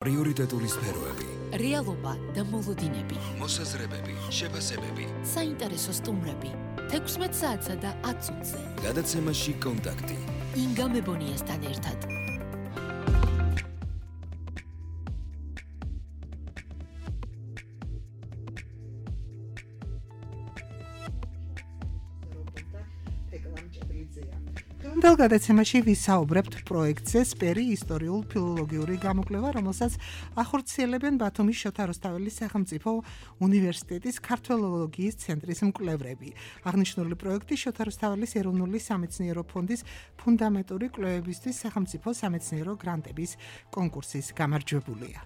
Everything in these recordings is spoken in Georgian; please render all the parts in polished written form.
პრიორიტეტული სფეროები, რეალობა და მოლოდინები, მოსაზრებები, შეფასებები, საინტერესო სტუმრები, 16 საათსა და 10 წუთზე. გადაცემაში კონტაქტი. ინგა მებონიასთან ერთად. დღევანდელ გადაცემაში ვისაუბრებთ პროექტზე სპერი ისტორიულ ფილოლოგიური გამოკვლევა, რომელსაც ახორციელებენ ბათუმის შოთა რუსთაველის სახელმწიფო უნივერსიტეტის ქართველოლოგიის ცენტრის მკვლევრები. აღნიშნული პროექტი შოთა რუსთაველის ეროვნული სამეცნიერო ფონდის ფუნდამენტური კვლევებისთვის სახელმწიფო სამეცნიერო გრანტების კონკურსის გამარჯვებულია.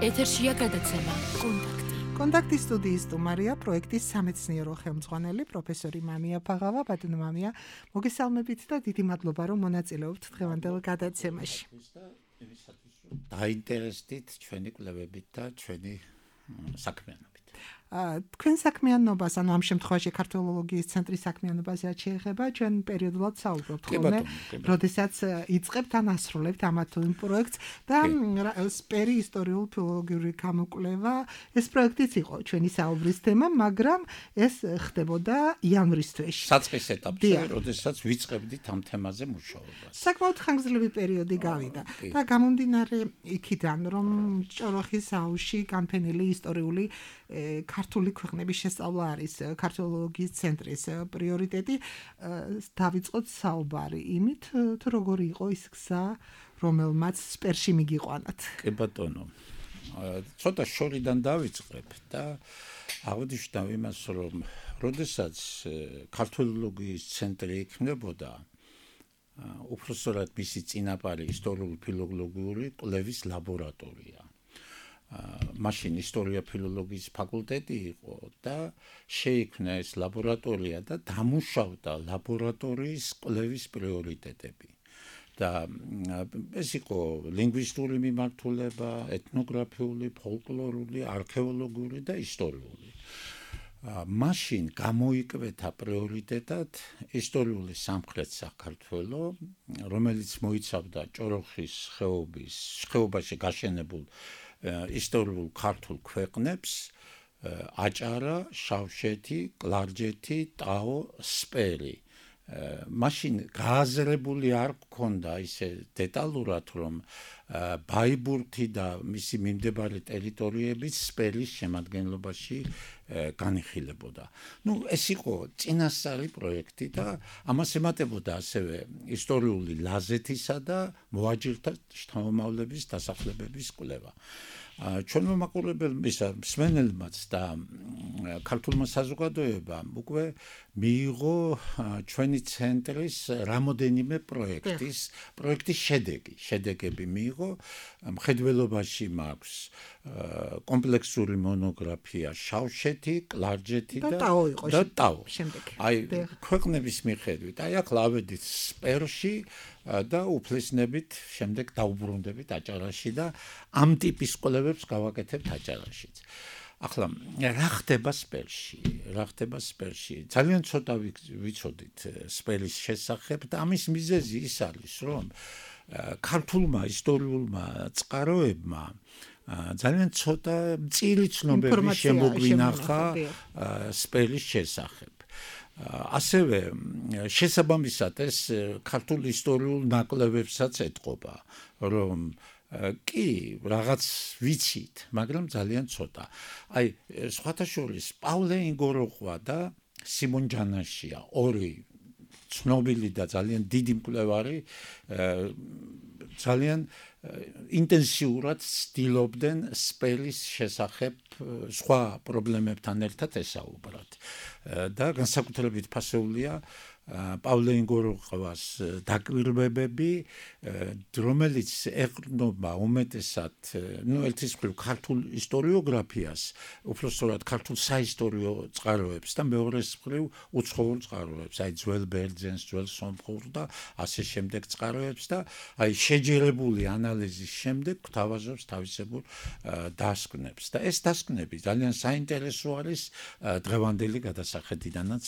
ეთერშია გადაცემა კონტაქტი. კონტაქტის სტუდიის სტუმარია პროექტის სამეცნიერო ხელმძღვანელი პროფესორი მამია ფაღავა. ბატონო მამია, მოგესალმებით და დიდი მადლობა, რომ მონაწილეობთ დღევანდელ გადაცემაში. დაინტერესდით ჩვენი კვლევებით და ჩვენი საქმიანობით. თქვენ საქმიანობას, ანუ ამ შემთხვევაში ქართველოლოგიის ცენტრის საქმიანობაზე შეეხება, ჩვენ პერიოდულად საუბრობთ ხოლმე, როდესაც იწყებთ ან ასრულებთ ამ თუ იმ პროექტს და სპერი ისტორიულ ფილოლოგიური გამოკვლევა, ეს პროექტიც იყო ჩვენი საუბრის თემა, მაგრამ ეს ხდებოდა იანვრის თვეში. საწყის ეტაპზე, როდესაც ვიწყებდით ამ თემაზე მუშაობას. საკმაოდ ხანგრძლივი პერიოდი გავიდა და გამომდინარე იქიდან, რომ ჭოროხის აუზში განფენილი ისტორიული ქართული ქვეყნების შესწავლა არის ქართველოლოგიის ცენტრის პრიორიტეტი. დავიწყოთ საუბარი იმით, თუ როგორი იყო ის გზა, რომელმაც სპერში მიგიყვანათ. კი ბატონო. ცოტა შორიდან დავიწყებ და აღნიშნავ იმას, რომ როდესაც ქართველოლოგიის ცენტრი იქმნებოდა, უпростоრად მისი წინაპარი ისტორიული ფილოლოგიური კვლევის ლაბორატორია. მაშინ ისტორია ფილოლოგიის ფაკულტეტი იყო და შეიქმნა ეს ლაბორატორია და დამუშავდა ლაბორატორიის კვლევის პრიორიტეტები. და ეს იყო ლინგვისტური მიმართულება, ეთნოგრაფიული, ფოლკლორული, არქეოლოგიური და ისტორიული. მაშინ გამოიკვეთა პრიორიტეტად ისტორიული სამხრეთ საქართველო, რომელიც მოიცავდა ჭოროხის ხეობაში გაშენებულ ისტორიულ ქართულ ქვეყნებს, აჭარა, შავშეთი, კლარჯეთი, ტაო, სპერი. მაშინ გააზრებული არ გქონდა ისე დეტალურად, რომ ბაიბურთი და მისი მიმდებარე ტერიტორიებიც სპერის შემადგენლობაში განიხილებოდა. ეს იყო წინასწარი პროექტი და ამას ემატებოდა ასევე ისტორიული ლაზეთისა და მოაჯირთა შთამომავლების დასახლებების კვლევა. ჩვენმა მსმენელმაც და ქართულმა საზოგადოებამ უკვე მიიღო ჩვენი ცენტრის რამოდენიმე პროექტის შედეგები მიიღო. მხედველობაში მაქვს კომპლექსური მონოგრაფია შავშეთი, კლარჯეთი და ტაო. ქვეყნების მიხედვით, ახლა ავედით სპერში და უფლისნებით შემდეგ დაუბრუნდებით აჭარაში და ამ ტიპის კვლევებს გავაკეთებთ აჭარაშიც. ახლა რა ხდება სპერში? ძალიან ცოტა ვიცოდით სპერის შესახებ და ამის მიზეზი ის არის, რომ ქართულმა ისტორიულმა წყაროებმა ძალიან ცოტა მწირი ცნობები შემოგვინახა სპერის შესახებ. ასევე შესაბამისად ეს ქართულ ისტორიულ ნაკლებებსაც ეთყობა, რომ კი რაღაც ვიცით, მაგრამ ძალიან ცოტა. სხვათა შორის პავლე ინგოროყვა და სიმონ ჯანაშია, ორი ცნობილი და ძალიან დიდი მკვლევარი, ძალიან ინტენსიურად ცდილობდნენ სპერის შესახებ სხვა პრობლემებთან ერთად ესაუბრათ. და განსაკუთრებით ფასეულია პავლე ინგოროყვას დაკვირვებები, რომელიც ეყრდნობა უმეტესად, ერთის მხრივ ქართულ ისტორიოგრაფიას, უпростоრად ქართულ საისტორიო წყაროებს და მეორეს მხრივ უცხოურ წყაროებს, ძველ ბერძენს, ძველ სომხურ და ასე შემდეგ წყაროებს და შეჯერებული ანალიზის შემდეგ გვთავაზობს თავისებურ დასკვნებს. და ეს დასკვნები ძალიან საინტერესო არის დღევანდელი გადასახედიდანაც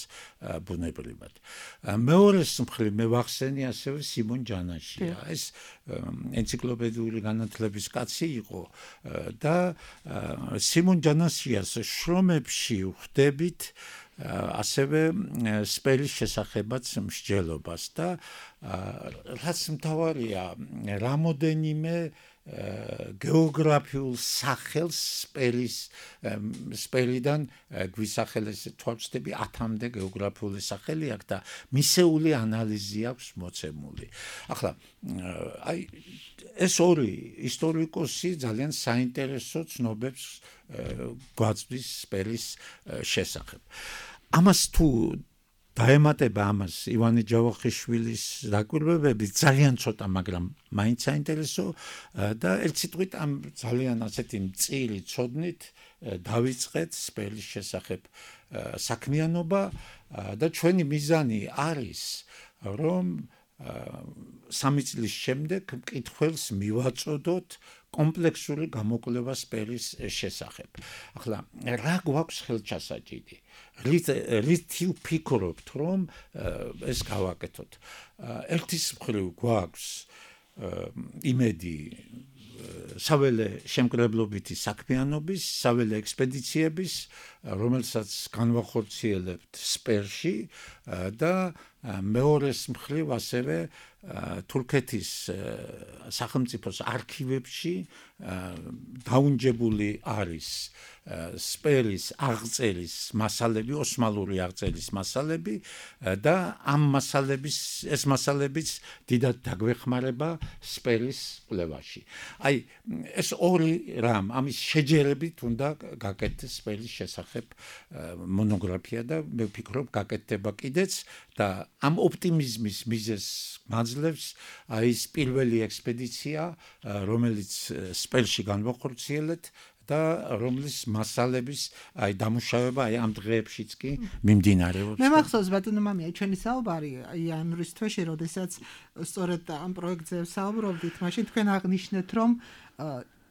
ბუნებრივად. მეორეს მხრივ მე ვახსენი ასევე სიმონ ჯანაშია. ეს ენციკლოპედიური განათლების კაცი იყო და სიმონ ჯანაშიას შრომებში ვხვდებით ასევე სპელის შესახებაც მსჯელობას და რაც მთავარია რამოდენიმე გეოგრაფიულ სახელს სპელიდან გვისახელეს თვალწდები 10-მდე გეოგრაფიული სახელი აქვს და მისეული ანალიზი აქვს მოცემული. ახლა აი ეს ორი ისტორიკოსი ძალიან საინტერესო ცნობებს გვაწვდის სპელის შესახებ. ამას თუ დაემატება ამას ივანე ჯავახიშვილის დაკვირვებები ძალიან ცოტა, მაგრამ მაინც საინტერესო და ერთ სიტყვით ამ ძალიან ასეთი მწირი ცოდნით დავიწყეთ სპელის შესახებ საქმიანობა და ჩვენი მიზანი არის რომ 3 წლის შემდეგ მკითხველს მივაწოდოთ კომპლექსური გამოკვლევა სპელის შესახებ. ახლა რა გვაქვს ხელჩასაჭირი? რით ვფიქრობთ რომ ეს გავაკეთოთ? ერთის მხრივ გვაქვს იმედი საველე შემკრებლობითი საქმიანობის, საველე ექსპედიციების, რომელსაც განვახორციელებთ სპერში და მეორეს მხრივ ასევე თურქეთის სახელმწიფოს არქივებში დაუნჯებული არის სპერის აღწერის მასალები, ოსმალური აღწერის მასალები და ამ ეს მასალებიც დიდად დაგვეხმარება სპერის კვლევაში. აი ეს ორი რამ, ამის შეჯერებით უნდა გაკეთდეს სპერის შესახებ მონოგრაფია და მე ვფიქრობ გაკეთდება კიდეც და ამ ოპტიმიზმის მიზეზს მაძლევს აი ეს პირველი ექსპედიცია, რომელიც სპელში განვახორციელეთ და რომლის მასალების აი დამუშავება აი ამ დღეებშიც კი მიმდინარეობს. მე მახსოვს ბატონო მამია ჩვენი საუბარი იანვრის თვეში, როდესაც სწორედ ამ პროექტზე საუბრობდით, მაშინ თქვენ აღნიშნეთ რომ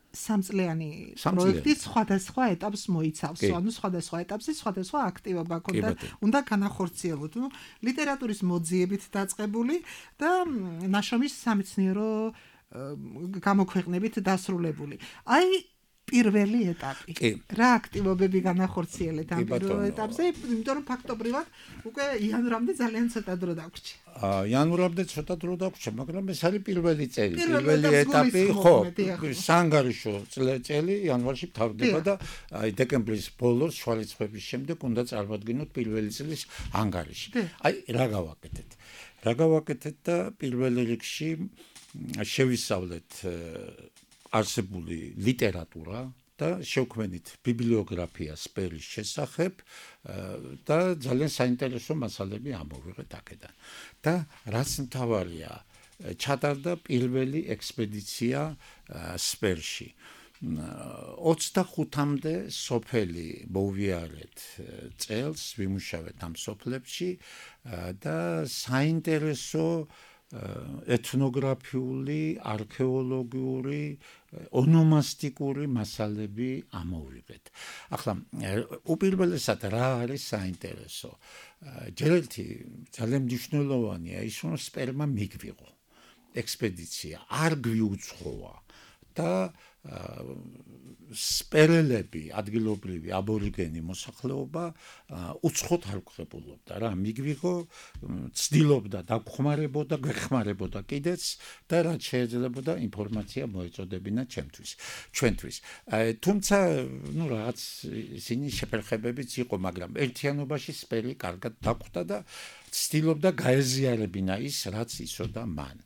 სამწლიანი პროექტი სხვადასხვა ეტაპს მოიცავს, ანუ სხვადასხვა ეტაპზე სხვადასხვა აქტივობა ქონდა, უნდა განახორციელოთ. ლიტერატურის მოძიებით დაწყებული და ნაშრომის სამეცნიერო გამოქვეყნებით დასრულებული. აი პირველი ეტაპი. რა აქტივობები განახორციელეთ ამ პირველ ეტაპზე, იმიტომ რომ ფაქტობრივად უკვე იანვრამდე ძალიან ცოტა დრო დაგვრჩა. იანვრამდე ცოტა დრო დაგვრჩა, მაგრამ ეს არის პირველი წელი, პირველი ეტაპი, ხო, საანგარიშო წელი იანვარში თავდება და აი დეკემბრის ბოლოს შვალიცხვების შემდეგ უნდა წარმოვადგინოთ პირველი წლის ანგარიში. აი რა გავაკეთეთ? რა გავაკეთეთ და პირველ რიგში შევისწავლეთ არსებული ლიტერატურა და შევქმნით ბიბლიოგრაფია სპერის შესახებ და ძალიან საინტერესო მასალები ამოვიღეთ აქედან. და რაც მთავარია, ჩატარდა პირველი ექსპედიცია სპერში. 25-მდე სოფელი მოვიარეთ წელს, ვიმუშავეთ ამ სოფლებში და საინტერესო ეთნოგრაფიული, არქეოლოგიური, ონომასტიკური მასალები ამოვიღეთ. ახლა უპირველესად რა არის საინტერესო? ჯერ ერთი ძალიან მნიშვნელოვანია ის, რომ სპერმა მიგვიღო ექსპედიცია, არ გვიუძღვა და სპერელები, ადგილობრივი აბორიგენი მოსახლეობა უცხოთ არ გვხებულობდა რა, მიგვიღო, ცდილობდა დაგხმარებოდა, გვეხმარებოდა კიდეც და რაც შეიძლებოდა ინფორმაცია მოეწოდებინა ჩვენთვის. თუმცა, რაღაც ისინი შეფერხებებიც იყო, მაგრამ ერთიანობაში სპერი კარგად დაგვხვდა და ცდილობდა გაეზიარებინა ის, რაც იცოდა მან.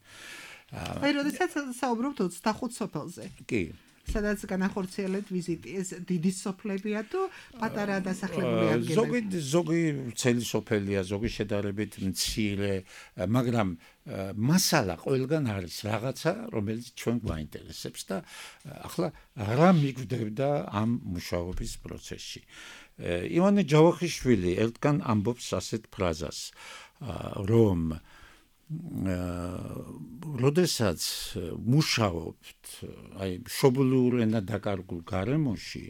აი, როდესაც საუბრობთ 25 სოფელზე. კი. სადაც განახორციელეთ ვიზიტი, ეს დიდი სოფლებია თუ პატარა დასახლებული ადგილები? ზოგი ცელი სოფელია, ზოგი შედარებით მცირე, მაგრამ მასალა ყველგან არის რაღაცა, რომელიც ჩვენ გვაინტერესებს და ახლა რა მიგვდებდა ამ მუშაობის პროცესში. ივანე ჯავახიშვილი ერთგან ამბობს ასეთ ფრაზას, რომ როდესაც მუშაობთ აი მშობლიურ ენად დაკარგულ გარემოში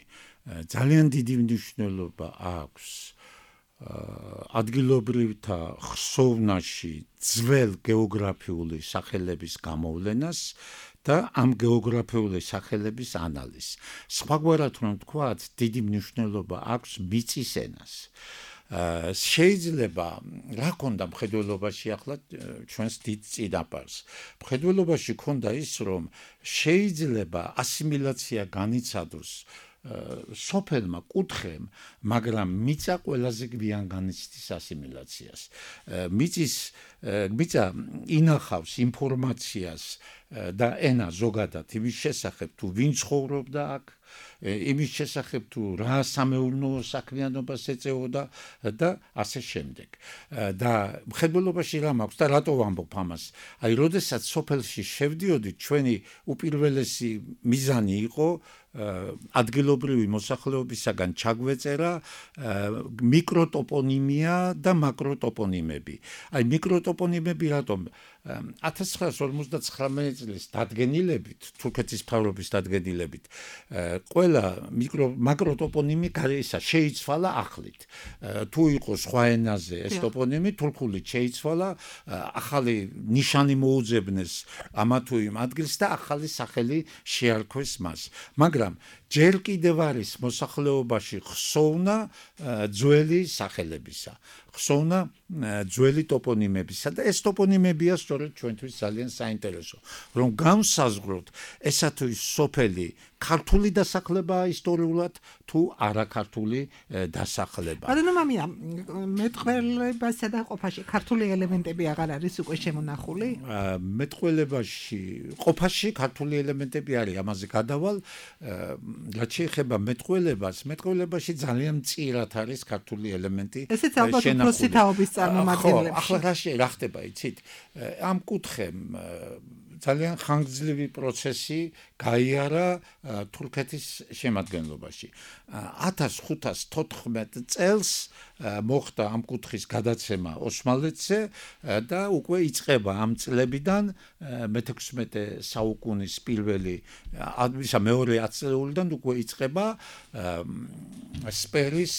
ძალიან დიდი მნიშვნელობა აქვს ადგილობრივთა ხსოვნაში ძველ გეოგრაფიული სახელების გამოვლენას და ამ გეოგრაფიული სახელების ანალიზს. სხვაგვარად რომ ვთქვათ, დიდი მნიშვნელობა აქვს მიწის ენას. შეიძლება რა ქონდა მხედველობაში ახლა ჩვენს დიდ წინაპარს. მხედველობაში ქონდა ის, რომ შეიძლება ასიმილაცია განიცადოს სოფელმა კუთხემ, მაგრამ მიწა ყველაზე გვიან განიცდის ასიმილაციას. მიწა ინახავს ინფორმაციას და ენა ზოგადად იმის შესახებ, თუ ვინ ცხოვრობდა აქ, იმის შესახებ თუ რა სამეურნეო საქმიანობას ეწეოდა და ასე შემდეგ. და მხედველობაში რა მაქვს და რატო ვამბობ ამას? აი, როდესაც სოფელში შევდიოდით, ჩვენი უპირველესი მიზანი იყო ადგილობრივი მოსახლეობისაგან ჩაგვეწერა მიკროტოპონიმია და მაკროტოპონიმები. აი, მიკროტოპონიმები რატომ? 1959 წლის დადგენილებით, თურქეთის მთავრობის დადგენილებით, ყველა მაკროტოპონიმი შეიცვალა ახლით. თუ იყო სხვა ენაზე ეს ტოპონიმი, თურქულით შეიცვალა, ახალი ნიშანი მოუძებნეს ამა თუ იმ ადგილს და ახალი სახელი შეარქვეს მას. მაგრამ ჯერ კიდევ არის მოსახლეობაში ხსოვნა ძველი სახელებისა, ხსოვნა ძველი ტოპონიმებისა და ეს ტოპონიმებია სწორედ ჩვენთვის ძალიან საინტერესო, რომ განსაზღვროთ ესა თუ ის სოფელი ქართული დასახლებაა ისტორიულად თუ არაქართული დასახლება. ანუ მამია, მეტყველებასა და ყოფაში ქართული ელემენტები აღარ არის უკვე შემონახული? მეტყველებაში, ყოფაში ქართული ელემენტები არის, ამაზე გადავალ. რაც შეეხება მეტყველებაში ძალიან მწირად არის ქართული ელემენტი. ესეც ალბათ უფროსი თაობის წარმომადგენლებში. ახლა რა ხდება, იცით? ამ კუთხემ ძალიან ხანგრძლივი პროცესი გაიარა თურქეთის შემადგენლობაში. 1514 წელს მოხდა ამ კუთხის გადაცემა ოსმალეთზე და უკვე იწყება ამ წლებიდან მე-16 საუკუნის პირველი მეორე ათწლეულიდან უკვე იწყება სპერის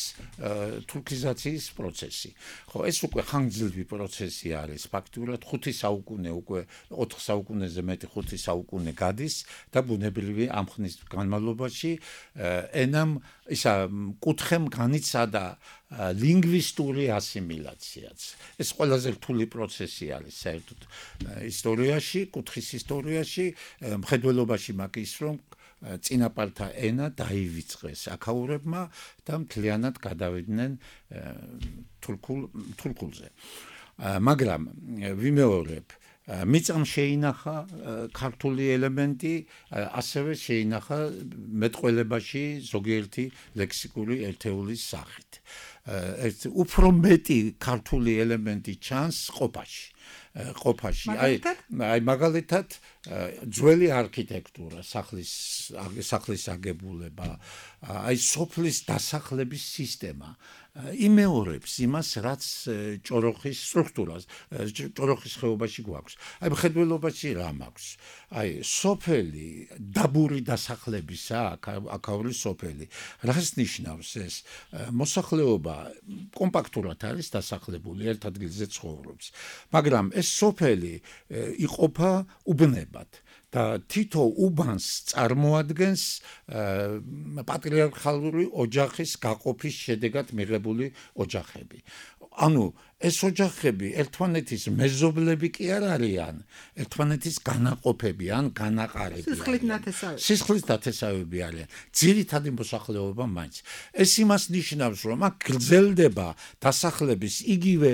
თურქიზაციის პროცესი. ხო, ეს უკვე ხანგრძლივი პროცესი არის. ფაქტურად 5 საუკუნე უკვე 4 საუკუნეზე მეტი 5 საუკუნე გადის და ბუნებრივი ამ ხნის განმავლობაში ენამ კუთხემ განიცადა ლინგვისტური ასიმილაციაც. ეს ყველაზე რთული პროცესი არის საერთოდ ისტორიაში, კუთხის ისტორიაში, მხედველობაში მაგ ის რომ წინაპართა ენა დაივიწყეს აქაურებმა და მთლიანად გადავიდნენ თურქულზე. მაგრამ ვიმეორებ, მიწამ შეინახა ქართული ელემენტი, ასევე შეინახა მეტყველებაში ზოგიერთი ლექსიკური ერთეულის სახით. უფრო მეტი ქართული ელემენტი ჩანს ყოფაში. აი მაგალითად ძველი არქიტექტურა, სახლის აგებულება, აი სოფლის დასახლების სისტემა იმეორებს იმას, რაც ჭოროხის სტრუქტურას, ჭოროხის ხეობაში გვაქვს. აი მხედველობაში რა მაქვს? აი სოფელი დაბური დასახლებისა, აქაური სოფელი. რას ნიშნავს ეს? მოსახლეობა კომპაქტურად არის დასახლებული, ერთ ადგილზე ცხოვრობს. მაგრამ ეს სოფელი იყოფა უბნებად. და თითო უბანს წარმოადგენს პატრიარქალური ოჯახის გაყოფის შედეგად მიღებული ოჯახები. ანუ ეს ოჯახები ერთმანეთის მეზობლები კი არ არიან, ერთმანეთის განაყოფები ან განაყარები. სისხლის ნათესავები არიან. ძირითადი მოსახლეობა მაინც. ეს იმას ნიშნავს, რომ აქ გრძელდება დასახლების იგივე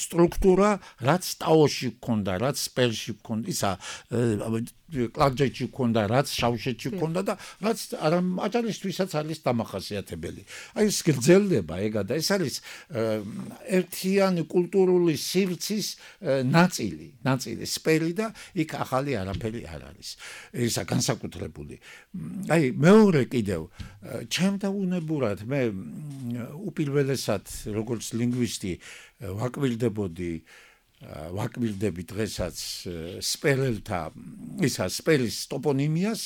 სტრუქტურა, რაც ტაოში გქონდა, რაც სპერში გქონდა, ისა კლარჯეთში გქონდა, რაც შავშეთში გქონდა და რაც აჭარისთვისაც არის დამახასიათებელი. აი ეს გრძელდება ეგა და ეს არის ერთიანი კულტურული სივრცის ნაწილი, სპერი და იქ ახალი არაფერი არ არის. ისა განსაკუთრებული. აი მეორე კიდევ ჩემთა უნებურად მე უპირველესად როგორც ლინგვისტი ვაკვირდები დღესაც სპერელთა სპერის ტოპონიმიას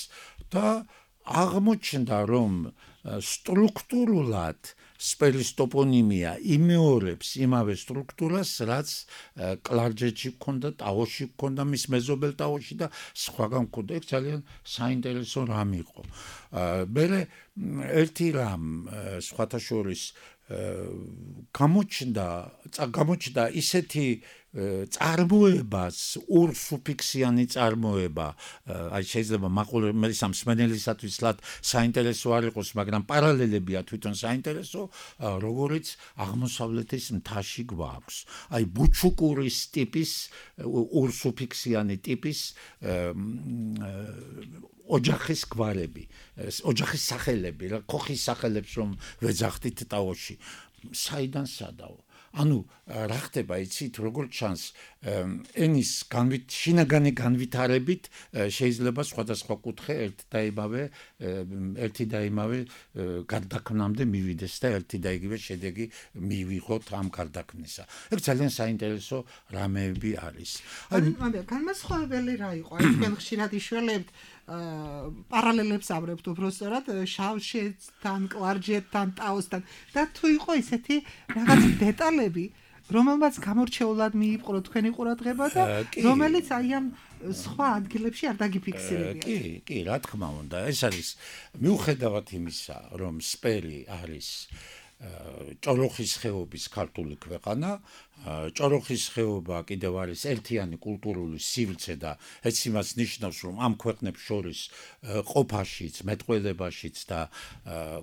და აღმოჩნდა რომ სტრუქტურულად სპერის ტოპონიმია იმეორებს იმავე სტრუქტურას, რაც კლარჯეთში გქონდა, ტაოში გქონდა, მის მეზობელ ტაოში და სხვაგან გქონდა. ეს ძალიან საინტერესო რამ იყო. მე ერთი რამ სხვათა შორის გამოჩნდა ისეთი წარმოებას ურსუფიქსიანი წარმოება, აი შეიძლება მაყურებლის სამსმენელისათვის ლად საინტერესო არ იყოს, მაგრამ პარალელებია თვითონ საინტერესო, როგორიც აღმოსავლეთის მთაში გვაქვს. აი ბუჩუკურის ტიპის ურსუფიქსიანი ტიპის ოჯახის გვარები, ოჯახის სახელები, რა ქოხის სახელებს რომ ვეძახდით ტაოში. საიდან სადაო? ანუ რა ხდება იცით როგორც ჩანს ენის შინაგანი განვითარებით შეიძლება სხვადასხვა კუთხე ერთი და იმავე გარდაქმნამდე მივიდეს და ერთი და იგივე შედეგი მივიღოთ ამ გარდაქმნისა. ეს ძალიან საინტერესო რამეები არის. აი განმასხვავებელი რა იყო? აი თქვენ ხშირად იშველებთ პარალელებს აბრებთ უბრალოდ შავშეთთან, კლარჯეთთან, ტაოსთან და თუ იყო ისეთი რაღაც დეტალები, რომელმაც გამორჩეულად მიიპყრო თქვენი ყურადღება და რომელიც აი ამ სხვა ადგილებში არ დაგიფიქსირებია. კი, რა თქმა უნდა, ეს არის მიუხედავად იმისა, რომ სპერი არის ჭოროხის ხეობის ქართული ქვეყანა, ჭოროხის ხეობა კიდევ არის ერთიანი კულტურული სივრცე და ეს იმას ნიშნავს, რომ ამ ქვეყნებს შორის ყოფაშიც, მეტყველებაშიც და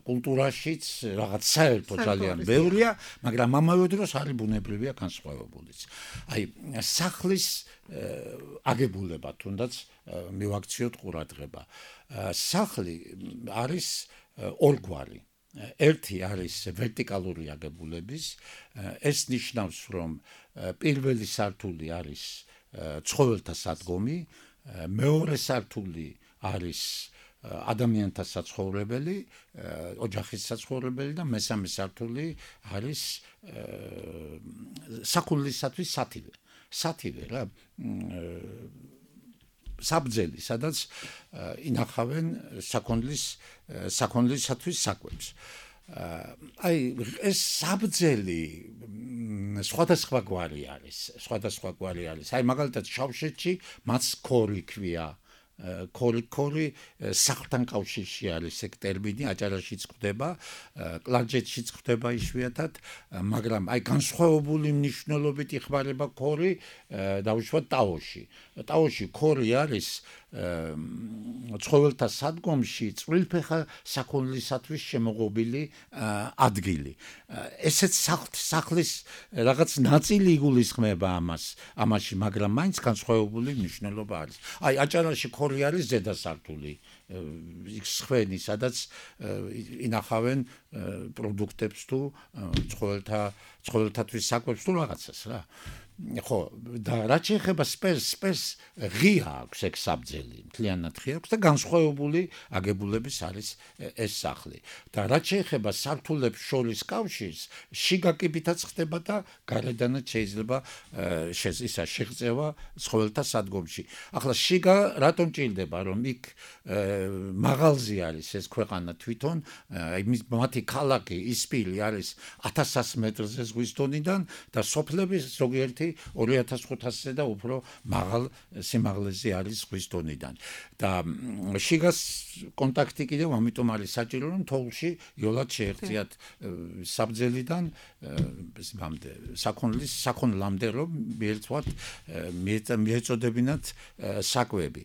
კულტურაშიც რაღაც საერთო ძალიან ბევრია, მაგრამ ამავე დროს არის ბუნებრივია განსხვავებულიც. აი სახლის აგებულება თუნდაც მივაქციოთ ყურადღება. სახლი არის ორგვარი. ერთი არის ვერტიკალური აგებულების, ეს ნიშნავს, რომ პირველი სართული არის ცხოველთა სადგომი, მეორე სართული არის ადამიანთა საცხოვრებელი, ოჯახის საცხოვრებელი და მესამე სართული არის საქონლისათვის სათივე რა. საბძელი, სადაც ინახავენ საქონლისათვის საკვებს. აი ეს საბძელი სხვადასხვა გვარი არის. აი მაგალითად შავშეთში მას ქორი ქვია. ქორი სახლთან კავშირში არის ეგ ტერმინი, აჭარაშიც გვხვდება, კლარჯეთშიც გვხვდება იშვიათად, მაგრამ აი განსხვავებული მნიშვნელობით იხმარება ქორი დაუშვათ ტაოში. ტაოში ქორი არის ცხოველთა სადგომში წვრილფეხა საქონლისათვის შემოღობილი ადგილი. ესეც სახლის რაღაც ნაწილი იგულისხმება ამაში, მაგრამ მაინც განსხვავებული მნიშვნელობა არის. აი აჭარაში ქორი არის ზედა სართული, სხვენი, სადაც ინახავენ პროდუქტებს თუ ცხოველთათვის საკვებს თუ რაღაცას რა. ხო, და რაც შეეხება სპერს ღია აქვს ეგ საბძელი, მთლიანად ღია აქვს და განსხვავებული აგებულების არის ეს სახლი. და რაც შეეხება სართულებს შორის კავშირს, შიგა კიბითაც ხდება და გარედანაც შეიძლება შეღწევა ცხოველთა სადგომში. ახლა შიგა რატომ ჭირდება, რომ იქ მაღალზე არის ეს ქვეყანა თვითონ, მათი ქალაქი ისპილი არის 1100 მეტრზე ზღვის დონიდან და სოფლები ზოგიერთი 2500-ზე და უფრო მაღალ სიმაღლეზე არის ზღვის დონიდან. და შიგას კონტაქტი კიდევ ამიტომ არის საჭირო, რომ თოვლში იოლად შეეღწიათ საბძელიდან საქონლამდე, რომ მიეწოდებინათ საკვები.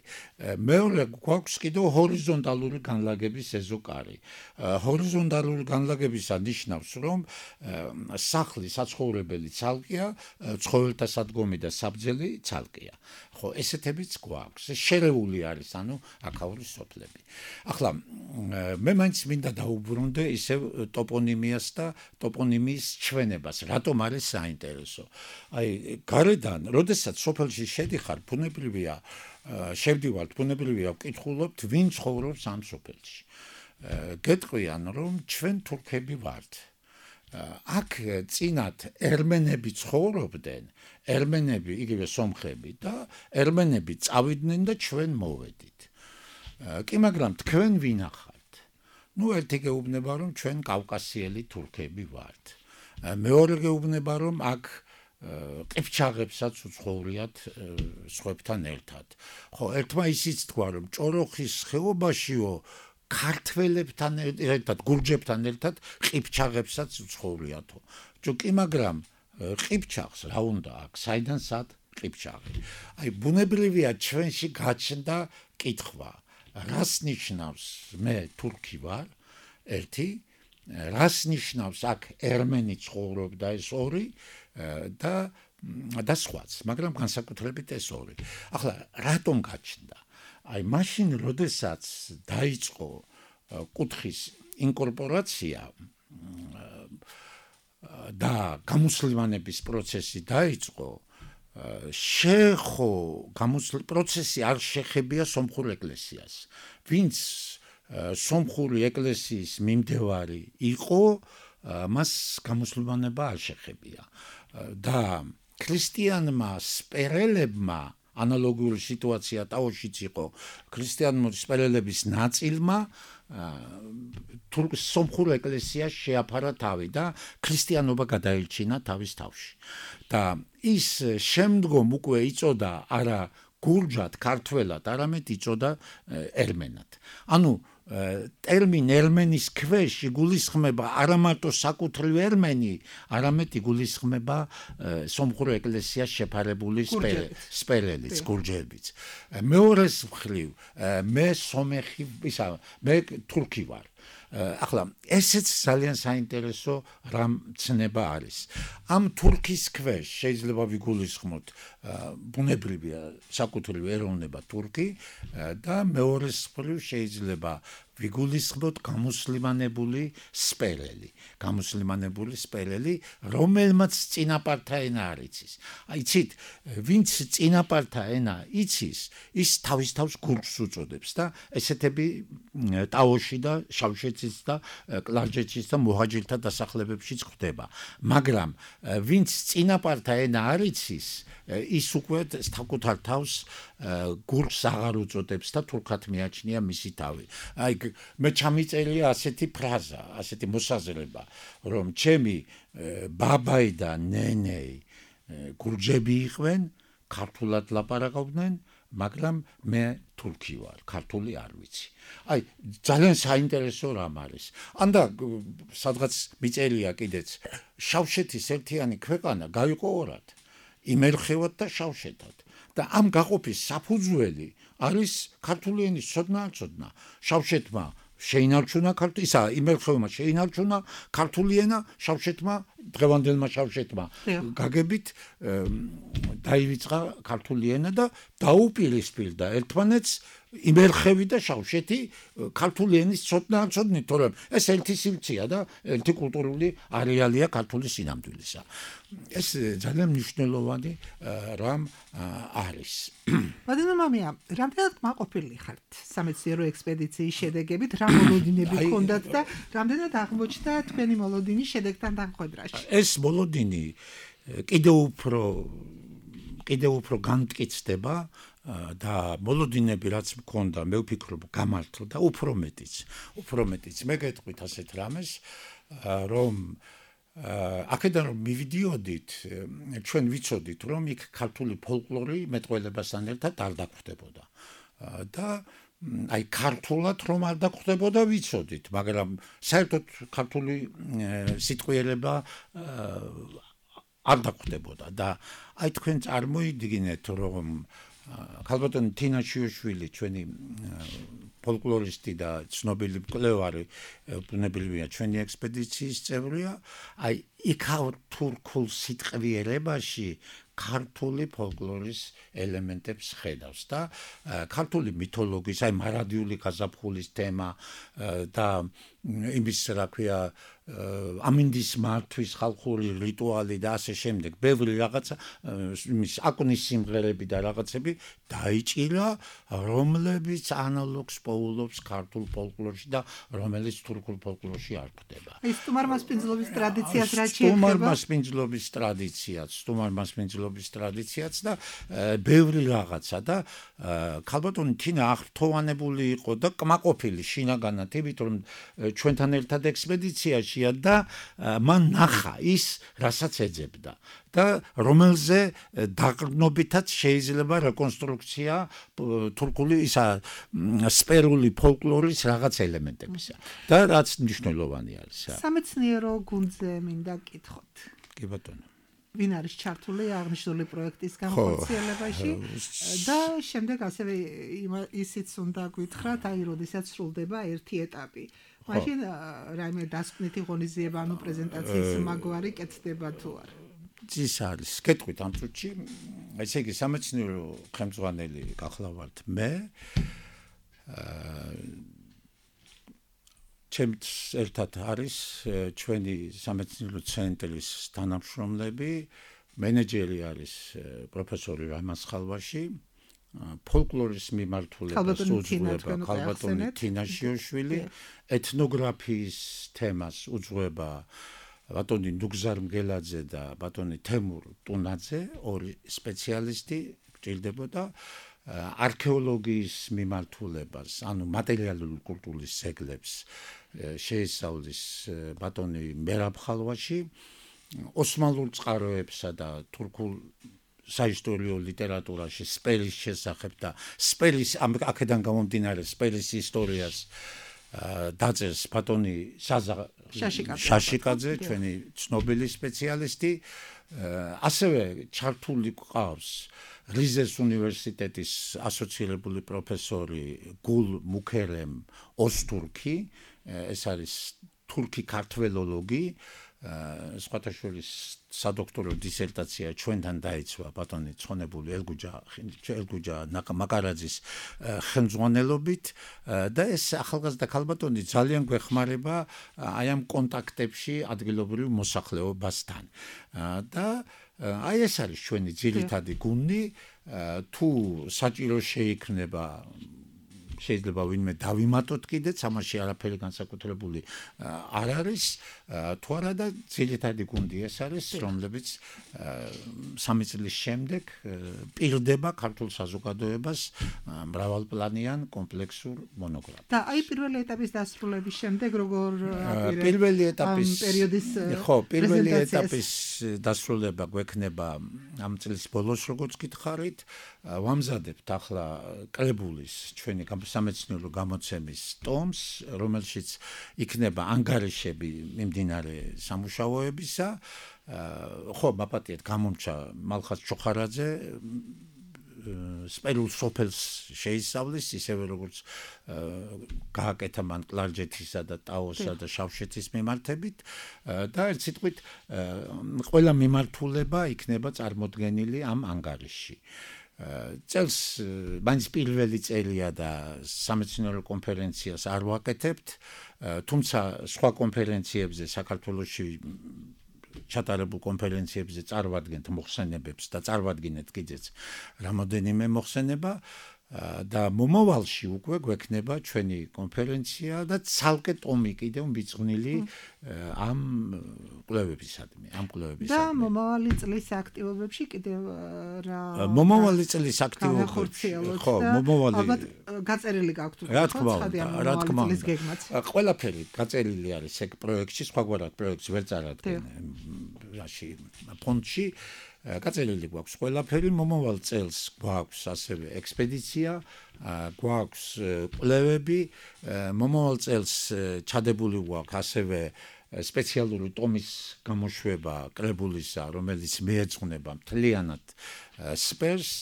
მეორე გვაქვს კიდევ ჰორიზონტალური განლაგების ეზოკარი. ჰორიზონტალური განლაგებისა ნიშნავს, რომ სახლი საცხოვრებელი ცალკეა, ცხოველთა სადგომი და საბძელი ცალკეა. ხო, ესეთებიც გვაქვს. შერეული არის, ანუ აქაური სოფლები. ახლა მე მაინც მინდა დაუბრუნდე ისევ ტოპონიმიას და ტოპონიმიის ჩვენებას, რატომ არის საინტერესო. აი, გარედან, როდესაც სოფელში შედიხარ, შევდივართ, ბუნებრივია ვკითხულობთ, ვინ ცხოვრობს ამ სოფელში. გეტყვიან, რომ ჩვენ თურქები ვართ. აქ წინათ ერმენები ცხოვრობდნენ, ერმენები, იგივე სომხები და ერმენები წავიდნენ და ჩვენ მოვედით. კი, მაგრამ თქვენ ვინ ახართ? ნუ ერთი გეუბნება რომ ჩვენ კავკასიელი თურქები ვართ. მეორე გეუბნება რომ აქ ყიფჩაღებსაც უცხოვრიათ სხვებთან ერთად. ხო, ერთმა ისიც თქვა რომ ჭოროხის ხეობაშიო ქართველებთან ერთად, გურჯებთან ერთად ყიფჩაღებსაც უცხოვრიათო. კი, მაგრამ ყიფჩაღს რა უნდა აქ, საიდან სად ყიფჩაღი? აი, ბუნებრივია ჩვენში გაჩნდა კითხვა. რას ნიშნავს მე თურქი ვარ? ერთი, რას ნიშნავს აქ ერმენი ცხოვრობდა ეს ორი და სხვაც, მაგრამ განსაკუთრებით ეს ორი. ახლა რატომ გაჩნდა? აი, მაშინ, როდესაც დაიწყო კუთხის ინკორპორაცია და გამუსლიმანების პროცესი დაიწყო, პროცესი არ შეხებია სომხურ ეკლესიას. ვინც სომხური ეკლესიის მიმდევარი იყო, მას გამუსლიმანება არ შეხებია. და ქრისტიანმა სპერელებმა ანალოგიური სიტუაცია ტაოშიც იყო. ქრისტიანული სპერელების ნაწილმა სომხურ ეკლესიას შეაფარა თავი და ქრისტიანობა გადაილჩინა თავის თავში. და ის შემდგომ უკვე იწოდა არა გურჯად, ქართველად, არამედ იწოდა ερμენად. ანუ ტერმინ ερμენის ქვეშ იგულისხმება არა მარტო საკუთრივ ερμენი, არამედ იგულისხმება სომხურ ეკლესიას შეფარებული სპერელიც, გურჯებიც. მეორეს მხრივ, მე სომეხი, მე თურქი ვარ. ახლა ესეც ძალიან საინტერესო რამცნება არის. ამ თურქის ქვეშ შეიძლება ვიგულისხმოთ ბუნებრივია საკუთრივ ეროვნება თურქი და მეორეს მხრივ შეიძლება ვიგულისხმოთ გამუსლიმანებული სპერელი, რომელმაც წინაპართა ენა არ იცის. იცით, ვინც წინაპართა ენა იცის, ის თავის თავს გურჯს უწოდებს და ესეთები ტაოში და შავშეთის და კლარჯეთშიც და მუჰაჯირთა დასახლებებშიც ხდება. მაგრამ ვინც წინაპართა ენა არ იცის, ის უკვე საკუთარ თავს გურჯს აღარ უწოდებს და თურქად მიაჩნია მისი თავი. აი, მე ჩამიწერია ასეთი ფრაზა, ასეთი მოსაზრება, რომ ჩემი ბაბაი და ნენეი გურჯები იყვნენ, ქართულად ლაპარაკობდნენ, მაგრამ მე თურქი ვარ, ქართული არ ვიცი. აი, ძალიან საინტერესო რამ არის. ანდა სადღაც მიწერია კიდეც, შავშეთის ერთიანი ქვეყანა გაიყო ორად, იმერხევად და შავშეთად. და ამ გაყოფის საფუძველი არის ქართული ენის ცოდნა. შავშეთმა შეინარჩუნა ქართული, ისა იმერხევმა შეინარჩუნა ქართული ენა, შავშეთმა, დღევანდელმა შავშეთმა გაგებით დაივიწყა ქართული ენა და დაუპირისპირდა ერთმანეთს იმერხევი და შავშეთი ქართული ენის ცოდნით, თორემ ეს ერთი სივრცეა და ერთი კულტურული არეალია ქართული სინამდვილისა. ეს ძალიან მნიშვნელოვანი რამ არის. ბატონო მამია, რამდენად კმაყოფილი ხართ სამეცნიერო ექსპედიციის შედეგებით, რა მოლოდინები ჰქონდათ და რამდენად აღმოჩნდა თქვენი მოლოდინი შედეგთან დამხვედრაში? ეს მოლოდინი კიდევ უფრო განმტკიცდება და მოლოდინები რაც მქონდა, მე ვფიქრობ, გამართლდა უფრო მეტიც. მე გეტყვით ასეთ რამეს, რომ აქედან რომ მივიდიოდით, ჩვენ ვიცოდით, რომ იქ ქართული ფოლკლორი მეტყველებასთან ერთად არ დაგხვდებოდა. და აი ქართულად რომ არ დაგხვდებოდა ვიცოდით, მაგრამ საერთოდ ქართული სიტყვიერება არ დაგხვდებოდა და აი თქვენ წარმოიდგინეთ, რომ ქალბატონი თინა შიოშვილი, ჩვენი ფოლკლორისტი და ცნობილი მკვლევარი, ბუნებრივია ჩვენი ექსპედიციის წევრია, აი იქაურ თურქულ სიტყვიერებაში ქართული ფოლკლორის ელემენტებს ხედავს და ქართული მითოლოგიის, აი მარადიული გაზაფხულის თემა და იმის რა ქვია ამინდის მართვის ხალხური რიტუალი და ასე შემდეგ ბევრი რაღაცა იმის აკუნის სიმღერები და რაღაცები დაიჭირა რომლებიც ანალოგს პოულობს ქართულ ფოლკლორში და რომელიც თურქულ ფოლკლორში არ გვხვდება. ის სტუმარ-მასპინძლობის ტრადიციას რა შეეხება? სტუმარ-მასპინძლობის ტრადიციაც და ბევრი რაღაცა და ქალბატონი თინა აღრთოვანებული იყო და კმაყოფილი შინაგანად იმით რომ ჩვენთან ერთად ექსპედიციაში და მან ნახა ის რასაც ეძებდა და რომელზე დაყრდნობითაც შეიძლება რეკონსტრუქცია თურქული ისა სპერული ფოლკლორის რაღაც ელემენტებისა და რაც მნიშვნელოვანი არის. სამეცნიერო გუნდზე მინდა კითხოთ. კი ბატონო. ვინ არის ჩართული აღნიშნული პროექტის განხორციელებაში და შემდეგ ასევე ისიც უნდა გითხრათ, აი როდესაც სრულდება ერთი ეტაპი. მაშინ რაიმე დასკვნითი ღონისძიება ანუ პრეზენტაციის მაგვარი კეთდება თუ არა? ის არის კეთვით ამ წუთში ესე იგი სამეცნიერო ხელმძღვანელი გახლავართ მე ჩემთ ერთად არის ჩვენი სამეცნიერო ცენტრის თანამშრომლები მენეჯერი არის პროფესორი რამაზ ხალვაში ფოლკლორის მიმართულებას უძღვება ქალბატონი თინა შიოშვილი ეთნოგრაფიის თემას უძღვება ბატონი ნუგზარ მგელაძე და ბატონი თემურ ტუნაძე ორი სპეციალისტი გჭირდებოდა არქეოლოგიის მიმართულებას ანუ მატერიალური კულტურის ძეგლებს შეისწავლის ბატონი მერაბ ხალვაში ოსმალურ წყაროებსა და თურქულ საისტორიო ლიტერატურაში სპერის შესახებ და სპერის აქედან გამომდინარე სპერის ისტორიას დაწერს ბატონი საზა შაშიკაძე ჩვენი ცნობილი სპეციალისტი ასევე ჩართული ყავს რიზეს უნივერსიტეტის ასოცირებული პროფესორი გულ მუქერემ ოსტურქი ეს არის თურქი ქართველოლოგი სხვათა სადოქტორო დისერტაცია ჩვენთან დაიცვა ბატონი ცხონებული ელგუჯა მაკარაძის ხელმძღვანელობით და ეს ახალგაზრდა ქალბატონი ძალიან გვეხმარება აი ამ კონტაქტებში ადგილობრივ მოსახლეობასთან და აი ეს არის ჩვენი ძირითადი გუნდი თუ საჭირო შეიქმნება შეიძლება ვინმე დავიმატოთ კიდეც ამაში არაფერი განსაკუთრებული არ არის თუ არა და ძირითადი გუნდი ეს არის რომლებიც 3 წლის შემდეგ პირდება ქართულ საზოგადოებას მრავალპლანიან კომპლექსურ მონოგრაფიას. და აი პირველი ეტაპის დასრულების შემდეგ როგორ პირველი ეტაპის პერიოდის პირველი ეტაპის დასრულება გვექნება ამ წლის ბოლოს როგორც გითხარით ვამზადებთ ახლა კრებულის ჩვენი სამეცნიერო გამოცემის ტომს რომელშიც იქნება ანგარიშები მიმდინარე სამუშაოებისა ხო მაპატიეთ გამომჩა მალხაზ ჩოხარაძე სპერულ სოფელს შეისწავლის ისევე როგორც გააკეთა მან კლარჯეთისა და ტაოსა და შავშეთის მიმართებით და ერთ სიტყვით ყველა მიმართულება იქნება წარმოდგენილი ამ ანგარიშში წელს მაინც პირველი წელია და სამეცნიერო კონფერენციას არ ვაკეთებთ თუმცა სხვა კონფერენციებზე საქართველოში ჩატარებულ კონფერენციებზე წარვადგენთ მოხსენებებს და წარვადგინეთ კიდეც რამოდენიმე მოხსენება და მომავალში უკვე გვექნება ჩვენი კონფერენცია და ცალკე ტომი კიდევ მიძღვნილი ამ კვლევებისადმი. და მომავალი წლის აქტივობებში კიდევ რა მომავალი წლის აქტივობებში ხო მომავალი ალბათ გაწერილი გაქვთ რა თქმა უნდა ყველაფერი გაწერილი არის ეგ პროექტში სხვაგვარად პროექტს ვერ წარადგენ რაში ფონდში გაწერილი გვაქვს ყველაფერი მომავალ წელს გვაქვს ასევე ექსპედიცია გვაქვს კვლევები მომავალ წელს ჩადებული გვაქვს ასევე სპეციალური ტომის გამოშვება კრებულისა რომელიც მიეძღვნება მთლიანად სპერს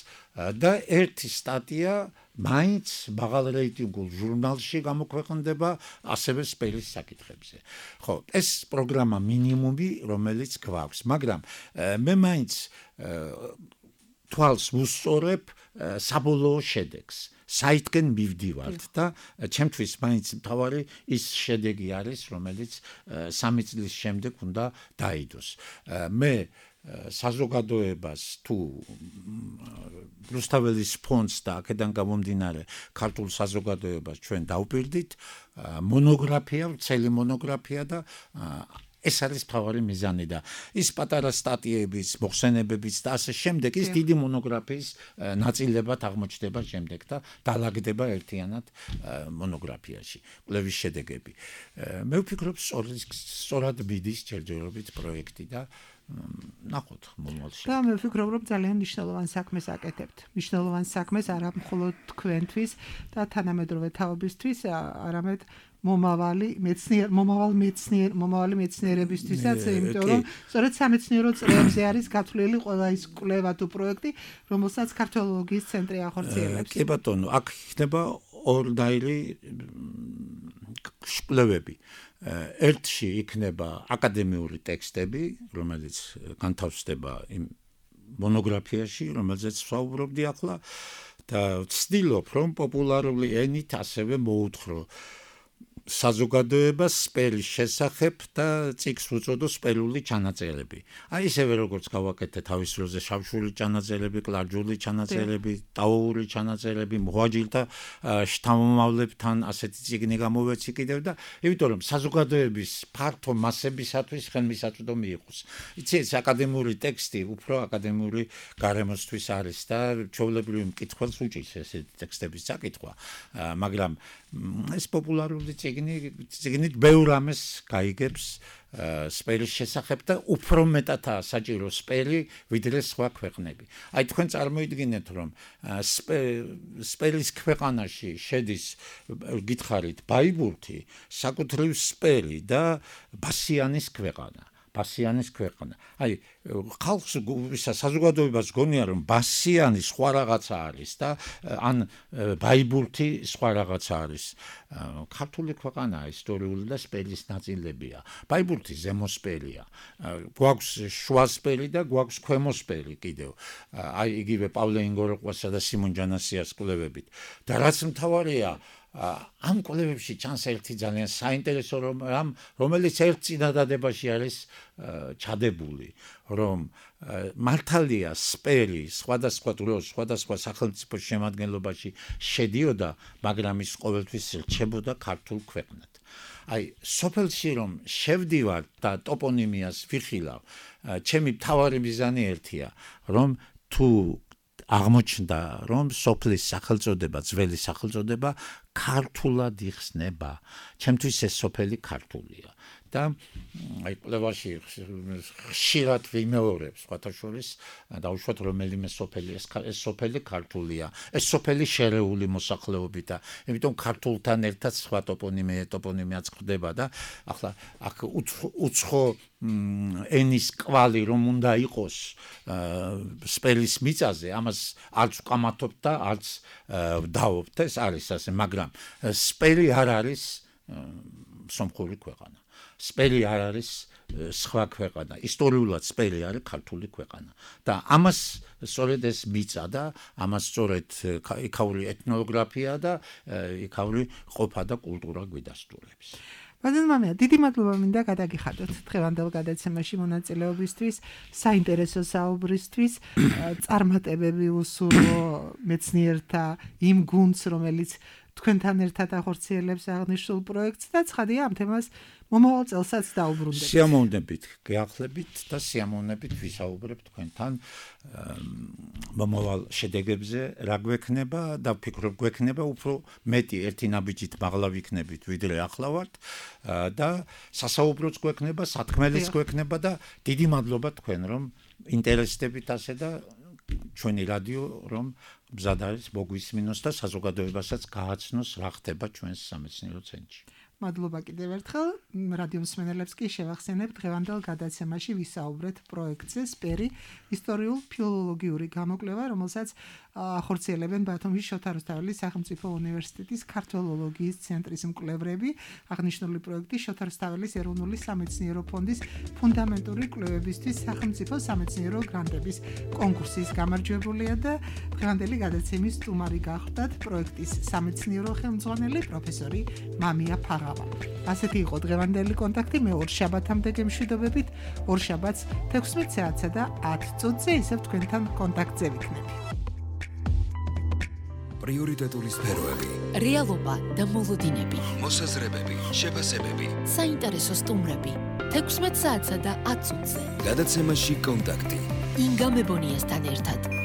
და ერთი სტატია მაინც მაღალ რეიტინგულ ჟურნალში გამოქვეყნდება ასევე სპერის საკითხებზე. ხო, ეს პროგრამა მინიმუმი, რომელიც გვაქვს, მაგრამ მე მაინც თვალს ვუსწორებ საბოლოო შედეგს საითკენ მივდივართ და ჩემთვის მაინც მთავარი ის შედეგი არის რომელიც 3 წლის შემდეგ უნდა დაიდოს მე საზოგადოებას თუ რუსთაველის ფონდს და აქედან გამომდინარე ქართულ საზოგადოებას ჩვენ დავპირდით მონოგრაფია, წელი მონოგრაფია და ეს არის მთავარი მიზანი და ის პატარა სტატიების, მოხსენებების და ასე შემდეგ ის დიდი მონოგრაფიის ნაწილებად აღმოჩნდება შემდეგ და დალაგდება ერთიანად მონოგრაფიაში კვლევის შედეგები. მე ვფიქრობ სწორად მიდის ჯერჯერობით პროექტი და ნახოთ მომავალში. და მე ვფიქრობ რომ ძალიან მნიშვნელოვან საქმეს აკეთებთ. მნიშვნელოვან საქმეს არა მხოლოდ თქვენთვის და თანამედროვე თაობისთვის, არამედ მომავალი მეცნიერებისთვისაც, იმიტომ რომ სწორედ სამეცნიერო წრეებზე არის გათვლილი ყველა ის კვლევა თუ პროექტი, რომელსაც ქართველოლოგიის ცენტრი ახორციელებს. კი ბატონო, აქ იქნება ორნაირი კვლევები. ერთში იქნება აკადემიური ტექსტები, რომელიც განთავსდება იმ მონოგრაფიაში, რომელზეც ვსაუბრობდი ახლა და ვცდილობ, რომ პოპულარული ენით ასევე მოუთხრო საზოგადოებას სპერის შესახებ და წიგნს უწოდო სპერული ჩანაწერები. აი ისევე როგორც გავაკეთე თავის დროზე შავშული ჩანაწერები, კლარჯული ჩანაწერები, ტაოური ჩანაწერები, მოაჯილთა შთამომავლებთან ასეთი წიგნი გამოვეცი კიდევ და იმიტომ რომ საზოგადოების ფართო მასებისათვის ხელმისაწვდომი იყოს. იცი ეს აკადემიური ტექსტი უფრო აკადემიური გარემოსთვის არის და ჩვეულებრივ მკითხველს უჭირს ესეთი ტექსტების წაკითხვა, მაგრამ ეს პოპულარული წიგნით ბევრ ამას გაიგებს სპერის შესახებ და უფრო მეტადაა საჭირო სპერი ვიდრე სხვა ქვეყნები. აი თქვენ წარმოიდგინეთ რომ სპერის ქვეყანაში შედის გითხარით ბაიბურთი, საკუთრივ სპერი და ბასიანის ქვეყანა. აი ხალხს საზოგადოებას გონია რომ ბასიანი სხვა რაღაცა არის და ან ბაიბურთი სხვა რაღაცა არის. ქართული ქვეყანაა ისტორიული და სპერის ნაწილებია. ბაიბურთი ზემოსპერია. გვაქვს შუასპერი და გვაქვს ქვემოსპერი კიდევ. აი იგივე პავლე ინგოროყვასა და სიმონ ჯანასიას კვლევებით. და რაც მთავარია ამ კვლევებში ჩანს ერთი ძალიან საინტერესო რომელიც ერთ წინადადებაში არის ჩადებული, რომ მართალია სპერი სხვადასხვა დროს, სხვადასხვა სახელმწიფოს შემადგენლობაში შედიოდა, მაგრამ ის ყოველთვის რჩებოდა ქართულ ქვეყნად. აი, სოფელში რომ შევდივარ და ტოპონიმიას ვიხილავ, ჩემი მთავარი მიზანი ერთია, რომ თუ აღმოჩნდა რომ სოფლის სახელწოდება, ძველი სახელწოდება ქართულად იხსნება. ჩემთვის ეს სოფელი ქართულია. და აი კვლევაში ხშირად ვიმეორებ სხვათა შორის დაუშვათ რომელიმე სოფელი ეს სოფელი ქართულია. ეს სოფელი შერეული მოსახლეობითა. იმიტომ ქართულთან ერთად სხვა ტოპონიმიაც ხდება და ახლა აქ უცხო ენის კვალი რომ უნდა იყოს სპერის მიწაზე, ამას არც ვკამათობ და არც ვდაობთ, ეს არის ასე, მაგრამ სპერი არ არის სომხური ქვეყანა. სპერი არ არის სხვა ქვეყანა. ისტორიულად სპერი არის ქართული ქვეყანა. და ამას სწორედ ეს მიწა და ამას სწორედ იქაური ეთნოგრაფია და იქაური ყოფა და კულტურა გვიდასტურებს. ბატონო, დიდი მადლობა მინდა გადაგიხადოთ დღევანდელ გადაცემაში მონაწილეობისთვის, საინტერესო საუბრისთვის, წარმატებები უსურვო მეცნიერთა იმ გუნდს, რომელიც თქვენთან ერთად ახორციელებს აღნიშნულ პროექტს და ცხადია ამ თემას მომავალ წელსაც დაუბრუნდებით. სიამოვნებით გეახლებით და სიამოვნებით ვისაუბრებ თქვენთან მომავალ შედეგებზე რა გვექნება და ვფიქრობ გვექნება უფრო მეტი ერთი ნაბიჯით მაღლა ვიქნებით ვიდრე ახლა ვართ და სასაუბროც გვექნება, სათქმელიც გვექნება და დიდი მადლობა თქვენ რომ ინტერესდებით ასე და ჩვენი რადიო რომ მზად არის მოგვისმინოს და საზოგადოებასაც გააცნოს რა ხდება ჩვენს სამეცნიერო ცენტრში. მადლობა კიდევ ერთხელ. რადიო მსმენელებს კი შევახსენებ დღევანდელ გადაცემაში ვისაუბრეთ პროექტზე სპერი ისტორიულ-ფილოლოგიური გამოკვლევა, რომელსაც ახორციელებენ ბათუმის შოთა რუსთაველის სახელმწიფო უნივერსიტეტის ქართველოლოგიის ცენტრის მკვლევრები. აღნიშნული პროექტი შოთა რუსთაველის ეროვნული სამეცნიერო ფონდის ფუნდამენტური კვლევებისთვის სახელმწიფო სამეცნიერო გრანტების კონკურსის გამარჯვებულია და დღევანდელი გადაცემის სტუმარი გახლდათ პროექტის სამეცნიერო ხელმძღვანელი პროფესორი მამია ფაღავა. ასეთი იყო დღევანდელი კონტაქტი. მე ორ შაბათამდე გემშვიდობებით. ორ შაბათს 16 საათსა და 10 წუთზე ისევ თქვენთან კონტაქტზე ვიქნები. პრიორიტეტული სფეროები, რეალობა და მოლოდინები, მოსაზრებები, შეფასებები, საინტერესო სტუმრები 16 საათსა და 10 წუთზე. გადაცემაში კონტაქტი. ინგა მებონიასთან ერთად.